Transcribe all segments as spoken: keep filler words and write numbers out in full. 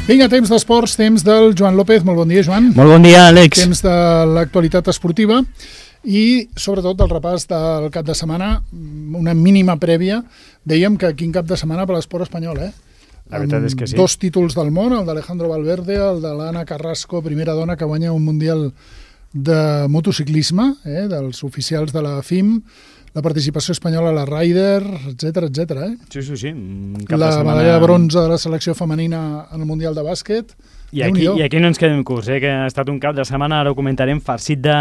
Vinga, temps d'esports, temps del Joan López. Molt bon dia, Joan. Molt bon dia, Àlex. Temps de l'actualitat esportiva i, sobretot, del repàs del cap de setmana, una mínima prèvia. Dèiem que quin cap de setmana per l'esport espanyol, eh? La veritat és que sí. Dos títols del món, el d'Alejandro Valverde, el de l'Anna Carrasco, primera dona que guanya un mundial de motociclisme, eh, dels oficials de la F I M, la participació espanyola a la Ryder, etcètera, etcètera. Eh? Sí, sí, sí. Cap la de setmana... medalla de bronze de la selecció femenina en el Mundial de Bàsquet. I aquí, I aquí no ens quedem curts, eh? Que ha estat un cap de setmana, ara ho comentarem, farcit de,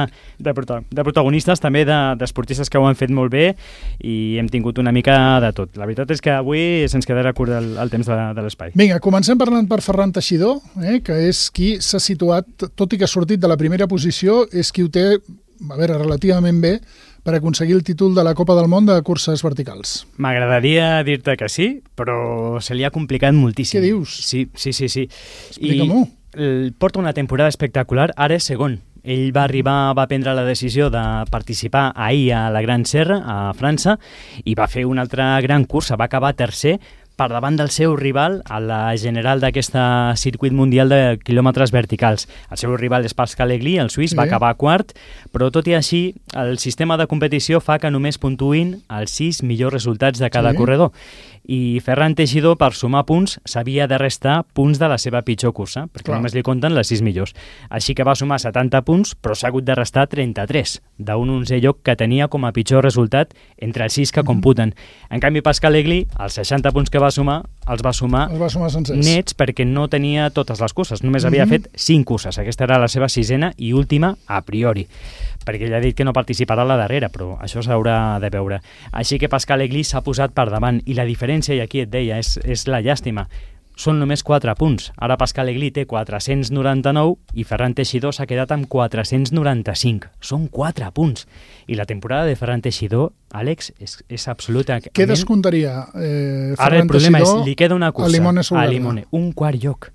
de, de protagonistes, també d'esportistes de, que ho han fet molt bé, i hem tingut una mica de tot. La veritat és que avui se'ns quedarà curt el, el temps de, de l'espai. Vinga, comencem parlant per Ferran Teixidor, eh? Que és qui s'ha situat, tot i que ha sortit de la primera posició, és qui ho té, a veure, relativament bé, per aconseguir el títol de la Copa del Món de curses verticals. M'agradaria dir-te que sí, però se li ha complicat moltíssim. Què dius? Sí, sí, sí. sí. Explica-m'ho. I porta una temporada espectacular, ara és segon. Ell va arribar, va prendre la decisió de participar ahir a la Gran Serra, a França, i va fer una altra gran cursa, va acabar tercer, per davant del seu rival a la general d'aquest circuit mundial de quilòmetres verticals. El seu rival és Pascal Egli, el suís, sí. Va acabar quart, però tot i així el sistema de competició fa que només puntuïn els sis millors resultats de cada sí. corredor. I Ferran Teixidor, per sumar punts, s'havia de restar punts de la seva pitjor cursa, perquè Clar. només li compten les sis millors. Així que va sumar setanta punts, però s'ha hagut de restar trenta-tres, d'un onzè lloc que tenia com a pitjor resultat entre els sis que mm-hmm. computen. En canvi, Pascal Egli, els seixanta punts que va sumar, els va sumar, els va sumar nets perquè no tenia totes les curses, només mm-hmm. havia fet cinc curses. Aquesta era la seva sisena i última a priori, perquè ell ha dit que no participarà a la darrera, però això s'haurà de veure. Així que Pascal Egli s'ha posat per davant, i la diferència, i aquí et deia, és, és la llàstima, són només quatre punts. Ara Pascal Egli té quatre-cents noranta-nou i Ferran Teixidor s'ha quedat amb quatre-cents noranta-cinc. Són quatre punts. I la temporada de Ferran Teixidor, Àlex, és, és absoluta. Què descomptaria eh, Ferran Ara el problema Teixidor és, li queda una cursa a Limone Solgarda? A Limone, un quart lloc.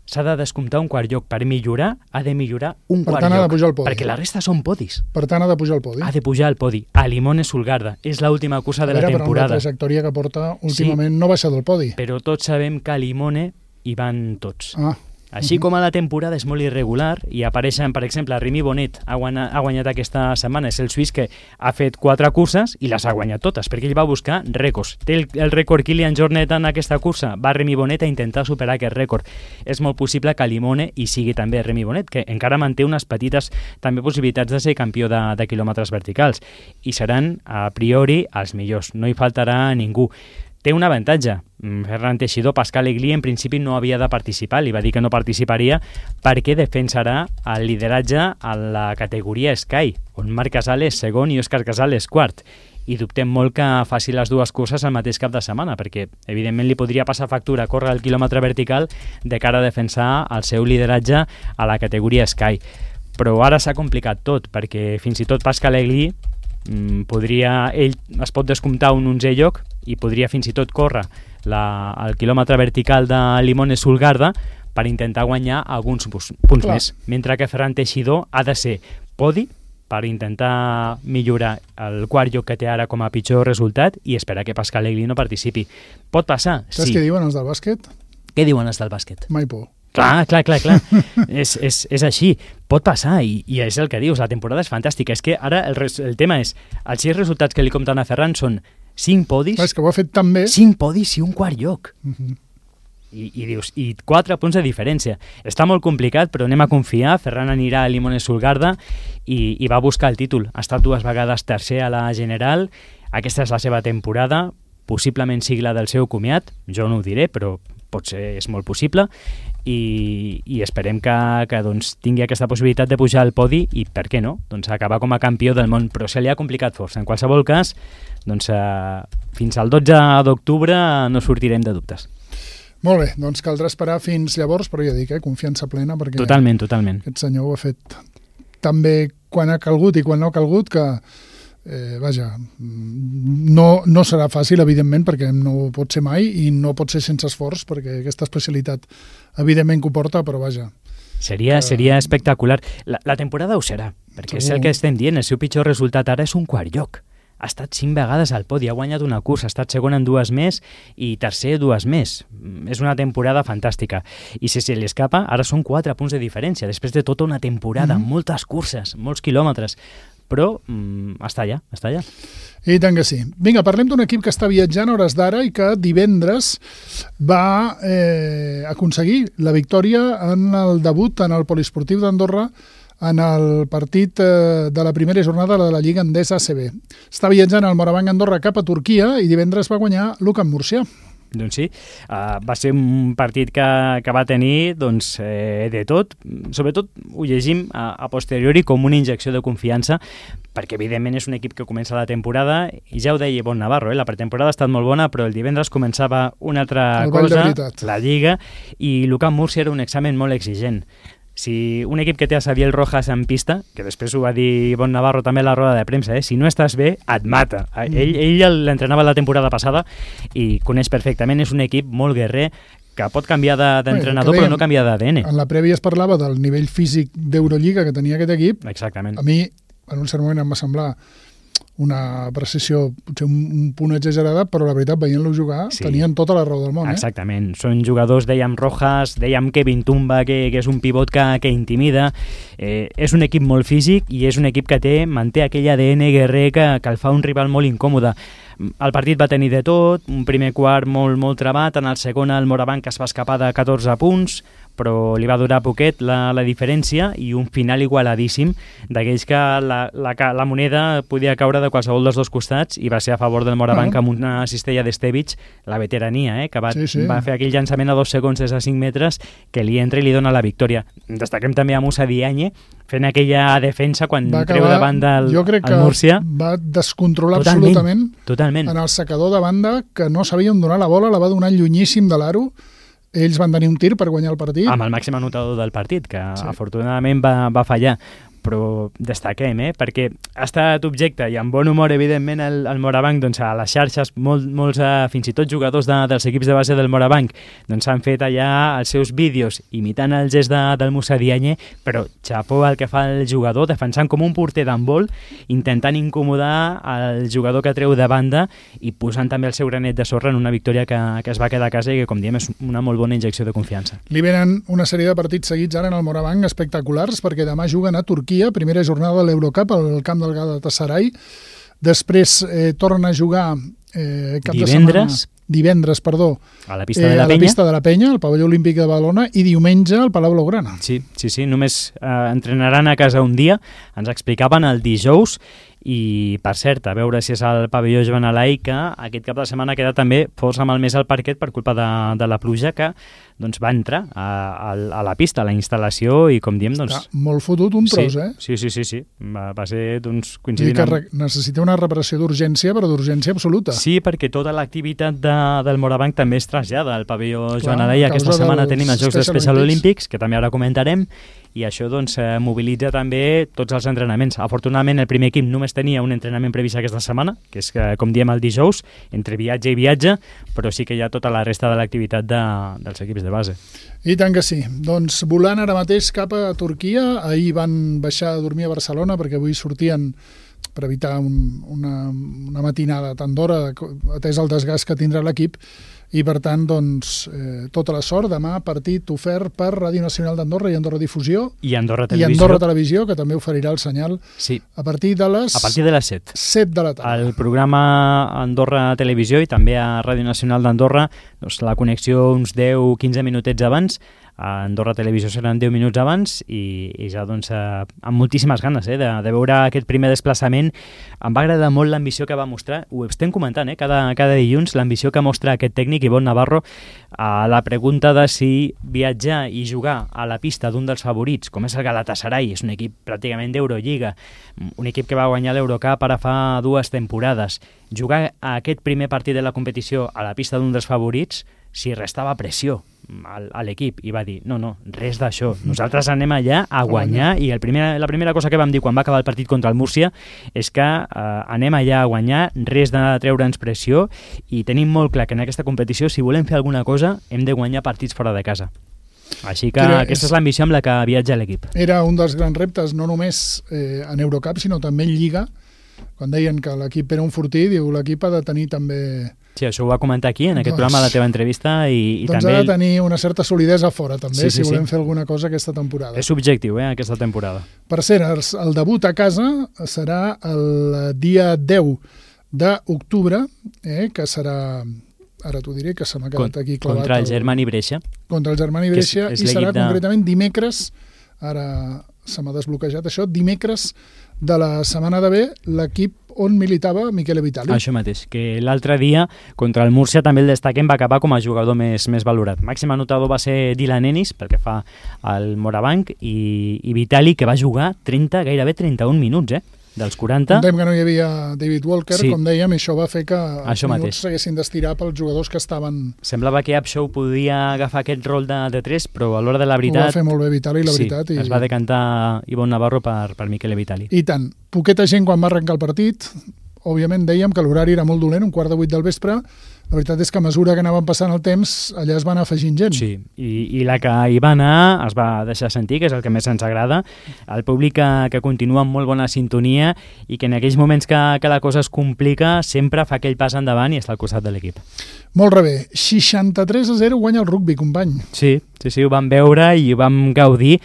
S'ha de descomptar un quart lloc. Per millorar, ha de millorar un per quart tant, lloc. Ha de pujar al podi. Perquè la resta són podis. Per tant, ha de pujar al podi. Ha de pujar al podi. A Limone Solgarda. És l'última cursa de veure, la temporada. Però amb la trajectòria que porta últimament sí, no baixa del podi. Però tots sabem que a Limone hi van tots. Ah. Així com a la temporada és molt irregular i apareixen, per exemple, Rémi Bonnet ha guanyat, ha guanyat aquesta setmana, és el suís que ha fet quatre curses i les ha guanyat totes, perquè ell va buscar rècords. Té el, el rècord Kilian Jornet en aquesta cursa, va Rémi Bonnet a intentar superar aquest rècord. És molt possible que a Limone hi sigui també Rémi Bonnet, que encara manté unes petites també possibilitats de ser campió de, de quilòmetres verticals, i seran a priori els millors, no hi faltarà ningú. Té un avantatge. Ferran Teixidor, Pascal Egli en principi no havia de participar, li va dir que no participaria perquè defensarà el lideratge a la categoria Sky, on Marc Casal és segon i Òscar Casal és quart. I dubtem molt que faci les dues curses al mateix cap de setmana, perquè evidentment li podria passar factura córrer el quilòmetre vertical de cara a defensar el seu lideratge a la categoria Sky. Però ara s'ha complicat tot, perquè fins i tot Pascal Egli podria, ell es pot descomptar un onzè lloc i podria fins i tot córrer la, el quilòmetre vertical de Limone Solgarda per intentar guanyar alguns punts Clar. més, mentre que Ferran Teixidor ha de ser podi per intentar millorar el quart lloc que té ara com a pitjor resultat i esperar que Pascal Egli no participi. Pot passar? Saps sí. què diuen els del bàsquet? Què diuen els del bàsquet? Mai por. Clar, clar, clar, clar. és, és, és així. Pot passar i, i és el que dius, la temporada és fantàstica. És que ara el, res, el tema és, els sis resultats que li compten a Ferran són cinc podis, clar, és que ho ha fet tan bé. cinc podis i un quart lloc. Uh-huh. I, i dius, i quatre punts de diferència. Està molt complicat, però anem a confiar. Ferran anirà a Limone Solgarda i, i va buscar el títol. Ha estat dues vegades tercer a la general. Aquesta és la seva temporada. Possiblement sigui la del seu comiat. Jo no ho diré, però potser és molt possible. I, i esperem que, que doncs, tingui aquesta possibilitat de pujar al podi i, per què no, doncs, acabar com a campió del món, però se li ha complicat força. En qualsevol cas, doncs, eh, fins al dotze d'octubre no sortirem de dubtes. Molt bé, doncs caldrà esperar fins llavors, però ja dic, eh, confiança plena, perquè totalment, totalment. Aquest senyor ho ha fet tan bé quan ha calgut i quan no ha calgut que Eh, vaja, no, no serà fàcil, evidentment, perquè no pot ser mai i no pot ser sense esforç, perquè aquesta especialitat evidentment que ho porta, però vaja. Seria, que... seria espectacular. La, la temporada ho serà, perquè Segur. És el que estem dient, el seu pitjor resultat ara és un quart lloc. ha estat cinc vegades al podi, ha guanyat una cursa, ha estat segon en dues més i tercer dues més. És una temporada fantàstica. I si se li escapa, ara són quatre punts de diferència, després de tota una temporada, mm-hmm. moltes curses, molts quilòmetres, però mm, està allà, està allà. I tant que sí. Vinga, parlem d'un equip que està viatjant a hores d'ara i que divendres va eh, aconseguir la victòria en el debut en el Poliesportiu d'Andorra en el partit eh, de la primera jornada de la Lliga Endesa A C B. Està viatjant el Morabanc Andorra cap a Turquia i divendres va guanyar l'U-Camp Múrcia. Doncs sí, uh, va ser un partit que, que va tenir doncs, eh, de tot. Sobretot ho llegim a, a posteriori com una injecció de confiança, perquè evidentment és un equip que comença la temporada, i ja ho deia Bon Navarro, eh? La pretemporada ha estat molt bona, però el divendres començava una altra cosa, la Lliga, i l'U-Camp Múrcia era un examen molt exigent. Si un equip que té a Xavier Rojas en pista, que després ho va dir Bon Navarro també a la roda de premsa, eh? Si no estàs bé, et mata. Ell, ell l'entrenava la temporada passada i coneix perfectament, és un equip molt guerrer, que pot canviar d'entrenador, de, però no canviar d'A D N. En la prèvia es parlava del nivell físic d'Eurolliga que tenia aquest equip. Exactament. A mi, en un cert moment, em va semblar una precisió potser un, un punt exagerada, però la veritat, veient-lo jugar, sí. Tenien tota la raó del món. Exactament. Eh? Són jugadors, dèiem Rojas, dèiem Kevin Tumba, que, que és un pivot que, que intimida. Eh, és un equip molt físic i és un equip que té, manté aquell A D N guerrer que, que el fa un rival molt incòmode. El partit va tenir de tot, un primer quart molt, molt trebat, en el segon el Morabanc es va escapar de catorze punts, però li va durar poquet la, la diferència, i un final igualadíssim d'aquells que la, la, la moneda podia caure de qualsevol dels dos costats, i va ser a favor del Morabanc uh-huh. amb una cistella d'Estevic, la veterania, eh, que va, sí, sí. va fer aquell llançament a dos segons des de cinc metres que li entra i li dona la victòria. Destaquem també a Musa Diagne fent aquella defensa quan va treu de banda el, jo crec el Múrcia. Que va descontrolar totalment, absolutament totalment. En el secador de banda, que no sabien donar la bola, la va donar llunyíssim de l'aro. Ells van tenir un tir per guanyar el partit. Amb el màxim anotador del partit, que sí. afortunadament va, va fallar. Però destaquem, eh? Perquè ha estat objecte, i amb bon humor, evidentment, el, el Morabanc, doncs, a les xarxes, molt, molts, uh, fins i tot jugadors de, dels equips de base del Morabanc, doncs han fet allà els seus vídeos imitant el gest de, del Musa Diagne, però xapó el que fa el jugador, defensant com un porter d'handbol, intentant incomodar el jugador que treu de banda i posant també el seu granet de sorra en una victòria que, que es va quedar a casa i que, com diem, és una molt bona injecció de confiança. Li venen una sèrie de partits seguits ara en el Morabanc espectaculars, perquè demà juguen a Turquia, primera jornada de l'Eurocup al camp del Galatasaray. Després eh, torna a jugar eh, cap divendres, de setmana, divendres, perdó, a la pista de la eh, Penya, a la pista de la Penya, al pavelló olímpic de Badalona, i diumenge al Palau Blaugrana. Sí, sí, sí, només eh, entrenaran a casa un dia, ens explicaven el dijous, i per cert, a veure si és el pavelló Joan Alai, que aquest cap de setmana queda també força malmès al parquet per culpa de, de la pluja, que doncs, va entrar a, a, a la pista, a la instal·lació, i com diem, doncs... Està molt fotut un tros, sí, eh? Sí, sí, sí, sí. Va, va ser, doncs, coincidint que amb... necessita una reparació d'urgència, però d'urgència absoluta. Sí, perquè tota l'activitat de, del Morabanc també es trasllada al pavelló Joan Alai. Aquesta setmana tenim els Jocs Especial Olímpics, que també ara comentarem, i això doncs eh, mobilitza també tots els entrenaments. Afortunadament el primer equip només tenia un entrenament previst aquesta setmana, que és, eh, com diem, el dijous, entre viatge i viatge, però sí que hi ha tota la resta de l'activitat de, dels equips de base. I tant que sí. Doncs volant ara mateix cap a Turquia, ahir van baixar a dormir a Barcelona perquè avui sortien per evitar un, una, una matinada tan d'hora, atès el desgast que tindrà l'equip, i per tant, doncs, eh, tota la sort. Demà partit ofert per Ràdio Nacional d'Andorra i Andorra Difusió. I Andorra Televisió. I Andorra Televisió, que també oferirà el senyal sí. a partir de les... A partir de les set. set de la tarda. El programa Andorra Televisió i també a Ràdio Nacional d'Andorra, doncs, la connexió uns deu a quinze minutets abans. A Andorra Televisió seran deu minuts abans i, i ja doncs eh, amb moltíssimes ganes eh, de, de veure aquest primer desplaçament. Em va agradar molt l'ambició que va mostrar, ho estem comentant eh, cada, cada dilluns, l'ambició que mostra aquest tècnic Bon Navarro a la pregunta de si viatjar i jugar a la pista d'un dels favorits, com és el Galatasaray, és un equip pràcticament d'Eurolliga, un equip que va guanyar l'Eurocup ara fa dues temporades, jugar a aquest primer partit de la competició a la pista d'un dels favorits, si restava pressió a l'equip, i va dir, no, no, res d'això, nosaltres anem allà a guanyar, i el primer, la primera cosa que vam dir quan va acabar el partit contra el Múrcia és que eh, anem allà a guanyar, res de treure'ns pressió, i tenim molt clar que en aquesta competició, si volem fer alguna cosa, hem de guanyar partits fora de casa. Així que Era, aquesta és, és l'ambició amb la que viatja l'equip. Era un dels grans reptes, no només eh, en Eurocup, sinó també en Lliga, quan deien que l'equip era un fortí, diu l'equip ha de tenir també... Sí, això ho va comentar aquí, en aquest doncs, programa, a la teva entrevista, i, i doncs també... ha de tenir una certa solidesa fora, també, sí, sí, si volem sí. fer alguna cosa aquesta temporada. És subjectiu, eh, aquesta temporada. Per cert, el, el debut a casa serà el dia deu d'octubre, eh, que serà... Ara t'ho diré, que se m'ha quedat aquí clavat. Contra el Germani Brescia. Contra el Germani Brescia, és, és i serà de... concretament dimecres, ara se m'ha desbloquejat això, dimecres de la setmana de ve, l'equip on militava Michele Vitali. Això mateix, que l'altre dia contra el Múrcia també el destaquem, va acabar com a jugador més, més valorat. Màxim anotador va ser Dylan Ennis, pel que fa al Morabanc, i, i Vitali, que va jugar trenta, gairebé trenta-un minuts, eh? Dels quaranta. Contem que no hi havia David Walker, sí. Com dèiem, i això va fer que els això minuts s'haguessin d'estirar pels jugadors que estaven... Semblava que Upshaw podia agafar aquest rol de, de tres, però a l'hora de la veritat... Ho va fer molt bé Vitali, la sí, veritat. I... es va decantar Ivonne Navarro per, per Michele Vitali. I tant. Poqueta gent quan va arrencar el partit, òbviament dèiem que l'horari era molt dolent, un quart de vuit del vespre. La veritat és que a mesura que anaven passant el temps, allà es va anar afegint gent. Sí, i, i la que hi va anar es va deixar sentir, que és el que més ens agrada. El públic que, que continua amb molt bona sintonia i que en aquells moments que, que la cosa es complica sempre fa aquell pas endavant i està al costat de l'equip. Molt bé. seixanta-tres a zero guanya el rugby, company. Sí, sí, sí, ho vam veure i ho vam gaudir.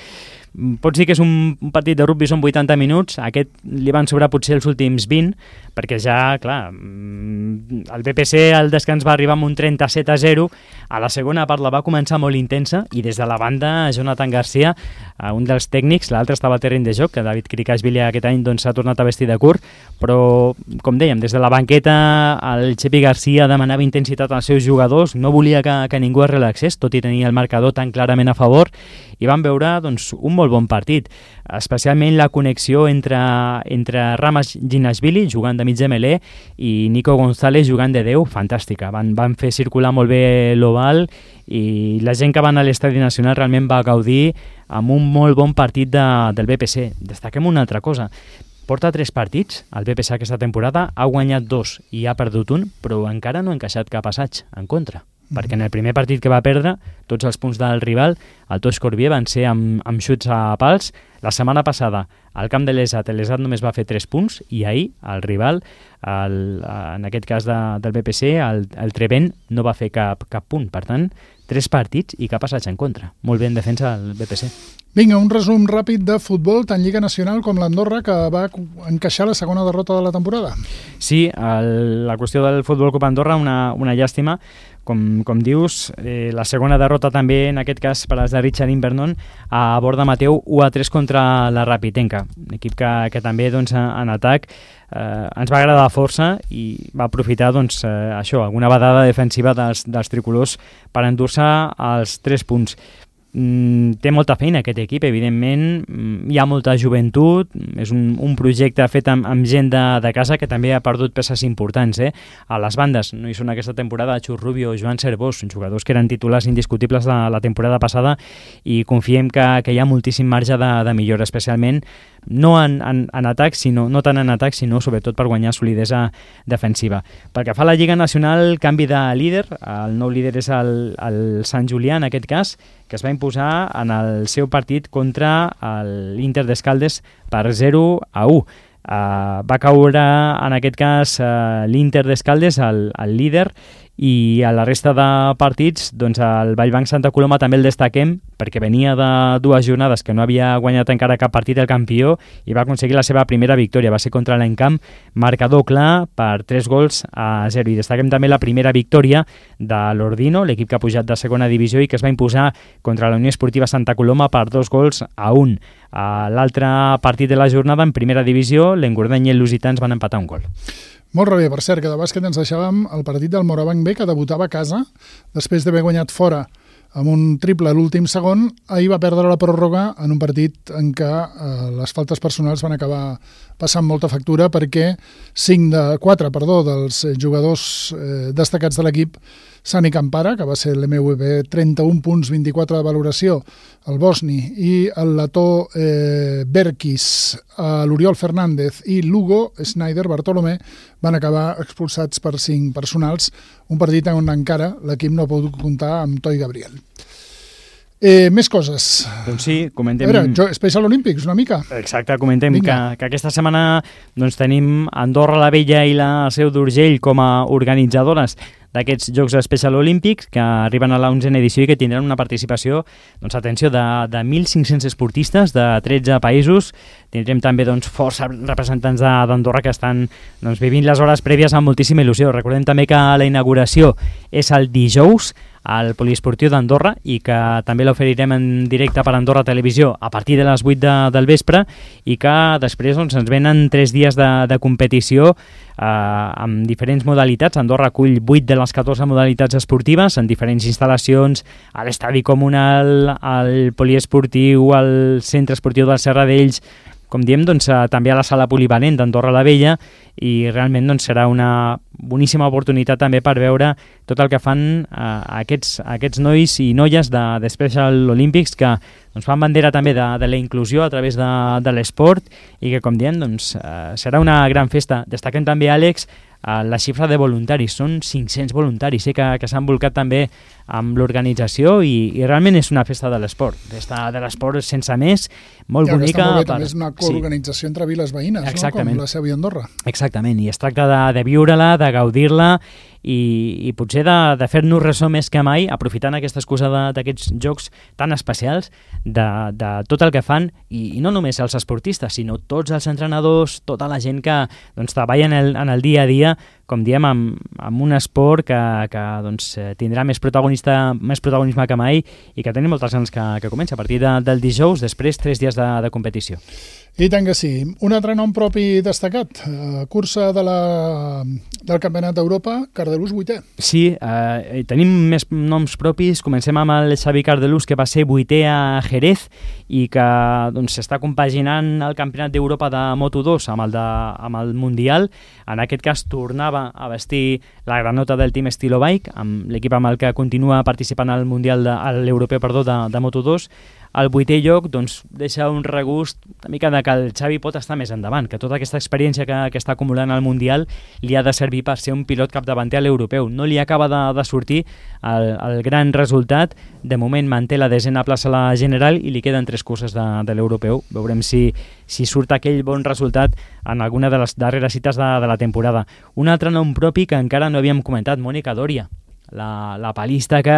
Pot ser que és un partit de rugby, són vuitanta minuts, aquest li van sobrar potser els últims vint, perquè ja, clar, el B P C al descans va arribar amb un trenta-set a zero, a la segona part la va començar molt intensa, i des de la banda Jonathan Garcia, un dels tècnics, l'altre estava a terreny de joc, que David Krikashvili aquest any doncs, s'ha tornat a vestir de curt, però, com dèiem, des de la banqueta el Chepi Garcia demanava intensitat als seus jugadors, no volia que, que ningú es relaxés, tot i tenir el marcador tan clarament a favor, i van veure doncs, un molt bon partit, especialment la connexió entre, entre Ramas Ginashvili jugant de mig de melé i Nico González jugant de deu, fantàstica, van, van fer circular molt bé l'oval i la gent que va anar a l'Estadi Nacional realment va gaudir amb un molt bon partit de, del B P C. Destaquem una altra cosa, porta tres partits, el B P C aquesta temporada ha guanyat dos i ha perdut un, però encara no ha encaixat cap assaig en contra. Perquè en el primer partit que va perdre, tots els punts del rival, el Toix Corbier, van ser amb, amb xuts a pals. La setmana passada, al camp de l'Esat, l'Esat només va fer tres punts, i ahir el rival, el, en aquest cas de, del B P C, el, el Trevent, no va fer cap, cap punt. Per tant, tres partits i cap assaig en contra. Molt bé en defensa el B P C. Vinga, un resum ràpid de futbol, tant Lliga Nacional com l'Andorra, que va encaixar la segona derrota de la temporada. Sí, el, la qüestió del Futbol Club Andorra, una, una llàstima. Com, com dius, eh, la segona derrota també, en aquest cas, per als de Richard Invernon, a Borda Mateu, u a tres contra la Rapitenca. Un equip que, que també, doncs, en atac eh, ens va agradar força i va aprofitar, doncs, eh, això, alguna badada defensiva dels, dels tricolors per endur-se els tres punts. Mm, té molta feina aquest equip, evidentment, hi ha molta joventut, és un, un projecte fet amb, amb gent de, de casa que també ha perdut peces importants, eh? A les bandes no hi són aquesta temporada Xus Rubio o Joan Cervós, jugadors que eren titulars indiscutibles de la temporada passada, i confiem que, que hi ha moltíssim marge de, de millora, especialment no en, en, en atac, sinó, no tant en atac, sinó sobretot per guanyar solidesa defensiva. Pel que fa a la Lliga Nacional, canvi de líder, el nou líder és el, el Sant Julià, en aquest cas, que es va imposar en el seu partit contra l'Inter d'Escaldes per zero a u. Uh, va caure, en aquest cas, uh, l'Inter d'Escaldes, el, el líder, i a la resta de partits, doncs el Vallbanc Santa Coloma també el destaquem perquè venia de dues jornades que no havia guanyat encara cap partit el campió i va aconseguir la seva primera victòria, va ser contra l'Encamp, marcador clar per tres gols a zero, i destaquem també la primera victòria de l'Ordino, l'equip que ha pujat de segona divisió i que es va imposar contra la Unió Esportiva Santa Coloma per dos gols a un. A l'altre partit de la jornada, en primera divisió, l'Engordany i el Lusitans van empatar un gol. Molt bé, per cert, que de bàsquet ens deixàvem el partit del Morabanc B, que debutava a casa, després d'haver guanyat fora amb un triple a l'últim segon. Ahir va perdre la pròrroga en un partit en què eh, les faltes personals van acabar passant molta factura, perquè cinc de quatre, perdó, dels jugadors eh, destacats de l'equip, Sani Campara, que va ser l'M V P, trenta-un punts, vint-i-quatre de valoració, el Bosni, i el letó eh, Berkis, l'Oriol Fernández i l'Hugo Snyder Bartolomé van acabar expulsats per cinc personals, un partit on encara l'equip no ha pogut comptar amb Toi Gabriel. Eh, més coses. Doncs sí, comentem... A veure, Special Olympics, una mica. Exacte, comentem que, que aquesta setmana doncs, tenim Andorra la Vella i la Seu d'Urgell com a organitzadores d'aquests Jocs Special Olímpics que arriben a l'onzena edició i que tindran una participació, doncs atenció, de, de mil cinc-cents esportistes de tretze països. Tindrem també doncs, força representants d'Andorra que estan doncs, vivint les hores prèvies amb moltíssima il·lusió. Recordem també que la inauguració és el dijous al Poliesportiu d'Andorra i que també l'oferirem en directe per Andorra Televisió a partir de les vuit de, del vespre i que després doncs, ens venen tres dies de, de competició eh, amb diferents modalitats. Andorra acull vuit de les catorze modalitats esportives en diferents instal·lacions, a l'estadi comunal, al poliesportiu, al centre esportiu del Serradells, com diem, doncs, també a la sala polivalent d'Andorra la Vella, i realment doncs, serà una boníssima oportunitat també per veure tot el que fan eh, aquests, aquests nois i noies de, de Special Olympics que doncs, fan bandera també de, de la inclusió a través de, de l'esport i que, com diem, doncs, eh, serà una gran festa. Destaquem també, Àlex, eh, la xifra de voluntaris. Són cinc-cents voluntaris eh, que, que s'han volcat també amb l'organització i, i realment és una festa de l'esport. Festa de l'esport sense més, molt ja, bonica. Bé, per... També és una coorganització sí. entre viles veïnes, no? Com la Seu i Andorra. Exactament, i es tracta de, de viure-la, de gaudir-la i, i potser de, de fer-nos ressò més que mai, aprofitant aquesta excusa d'aquests jocs tan especials, de, de tot el que fan, i, i no només els esportistes, sinó tots els entrenadors, tota la gent que doncs, treballa en el, en el dia a dia, com diem, amb, amb un esport que, que doncs, tindrà més, protagonista, més protagonisme que mai i que tenim moltes ganes que, que comença a partir de, del dijous, després tres dies de, de competició. I tant que sí. Un altre nom propi destacat, uh, cursa de la, del Campionat d'Europa, Cardelús vuitè. Sí, eh, tenim més noms propis. Comencem amb el Xavi Cardelús, que va ser vuitè a Jerez i que doncs, està compaginant el Campionat d'Europa de Moto dos amb el, de, amb el Mundial. En aquest cas tornava a vestir la granota del Team Estilo Bike, amb l'equip amb el que continua participant al Mundial de, a l'Europeu perdó, de, de Moto dos. El vuitè lloc doncs, deixa un regust una mica de que el Xavi pot estar més endavant, que tota aquesta experiència que, que està acumulant al Mundial li ha de servir per ser un pilot capdavanter a l'Europeu. No li acaba de, de sortir el, el gran resultat. De moment manté la desena plaça a la General i li queden tres curses de, de l'Europeu. Veurem si, si surt aquell bon resultat en alguna de les darreres cites de, de la temporada. Un altre nom propi que encara no havíem comentat, Mònica Doria. La, la palista que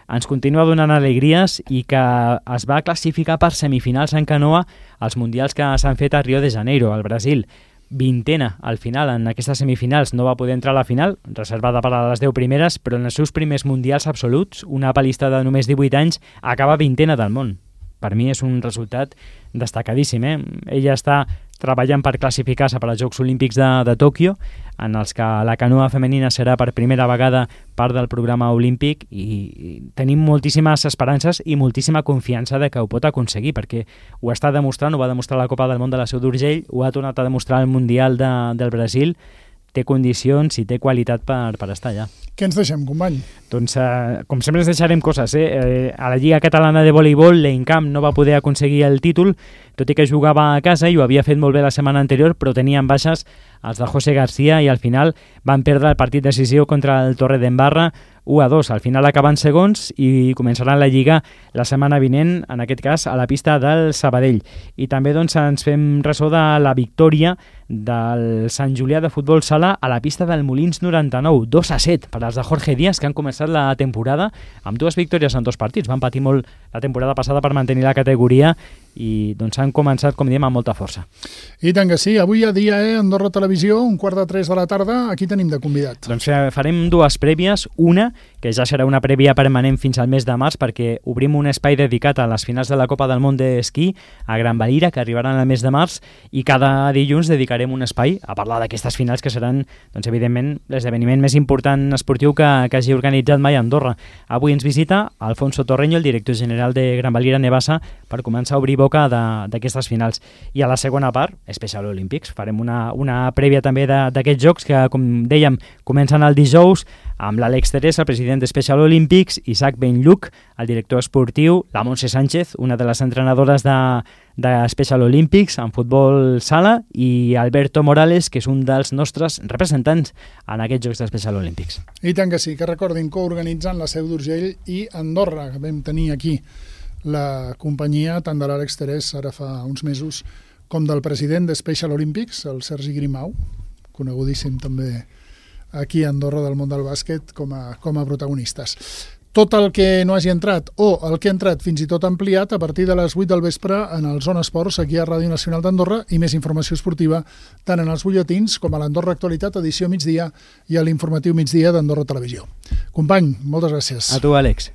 ens continua donant alegries i que es va classificar per semifinals en canoa als mundials que s'han fet a Rio de Janeiro, al Brasil. Vintena al final en aquestes semifinals, no va poder entrar a la final, reservada per a les deu primeres, però en els seus primers mundials absoluts, una palista de només divuit anys acaba vintena del món. Per mi és un resultat destacadíssim. Eh? Ella està treballant per classificar-se per als Jocs Olímpics de, de Tòquio, en els que la canoa femenina serà per primera vegada part del programa olímpic i, i tenim moltíssimes esperances i moltíssima confiança de que ho pot aconseguir, perquè ho està demostrant, ho va demostrar la Copa del Món de la Seu d'Urgell, ho ha tornat a demostrar el Mundial de, del Brasil, té condicions i té qualitat per, per estar allà. Què ens deixem, company? Doncs, eh, com sempre, ens deixarem coses. Eh? Eh, a la Lliga Catalana de Voleibol, l'Encamp no va poder aconseguir el títol, tot i que jugava a casa i ho havia fet molt bé la setmana anterior, però tenien baixes els de José García i al final van perdre el partit decisiu contra el Torredembarra u a dos. Al final acaben segons i començaran la Lliga la setmana vinent, en aquest cas a la pista del Sabadell. I també doncs, ens fem ressò de la victòria del Sant Julià de Futbol Sala a la pista del Molins noranta-nou, dos a set per als de Jorge Díaz, que han començat la temporada amb dues victòries en dos partits. Van patir molt la temporada passada per mantenir la categoria i doncs han començat, com diem, amb molta força. I tant que sí. Avui a dia, eh, Andorra Televisió, un quart de tres de la tarda, aquí tenim de convidat. Doncs farem dues prèvies. Una, que ja serà una prèvia permanent fins al mes de març, perquè obrim un espai dedicat a les finals de la Copa del Món d'Esquí a Gran Valira, que arribaran al mes de març, i cada dilluns dedicarem un espai a parlar d'aquestes finals que seran, doncs, evidentment, l'esdeveniment més important esportiu que, que hagi organitzat mai a Andorra. Avui ens visita Alfonso Torreño, el director general de Gran Valira Nevasa, per començar a obrir boca d'aquestes finals. I a la segona part, Special Olympics. Farem una, una prèvia també d'aquests jocs que, com dèiem, comencen el dijous amb l'Àlex Teresa, el president de Special Olympics, Isaac Benlluc, el director esportiu, la Montse Sánchez, una de les entrenadores de, de Special Olympics en futbol sala, i Alberto Morales, que és un dels nostres representants en aquests Jocs de Special Olympics. I tant que sí, que recordin, coorganitzant la Seu d'Urgell i Andorra, que vam tenir aquí la companyia tant de l'Àlex Terès ara fa uns mesos com del president de Special Olympics, el Sergi Grimau, conegudíssim també aquí a Andorra del món del bàsquet com a, com a protagonistes. Tot el que no hagi entrat o el que ha entrat fins i tot ampliat a partir de les vuit del vespre en el Zona Esports aquí a Ràdio Nacional d'Andorra i més informació esportiva tant en els butlletins com a l'Andorra Actualitat edició migdia i a l'informatiu migdia d'Andorra Televisió. Company, moltes gràcies. A tu, Àlex.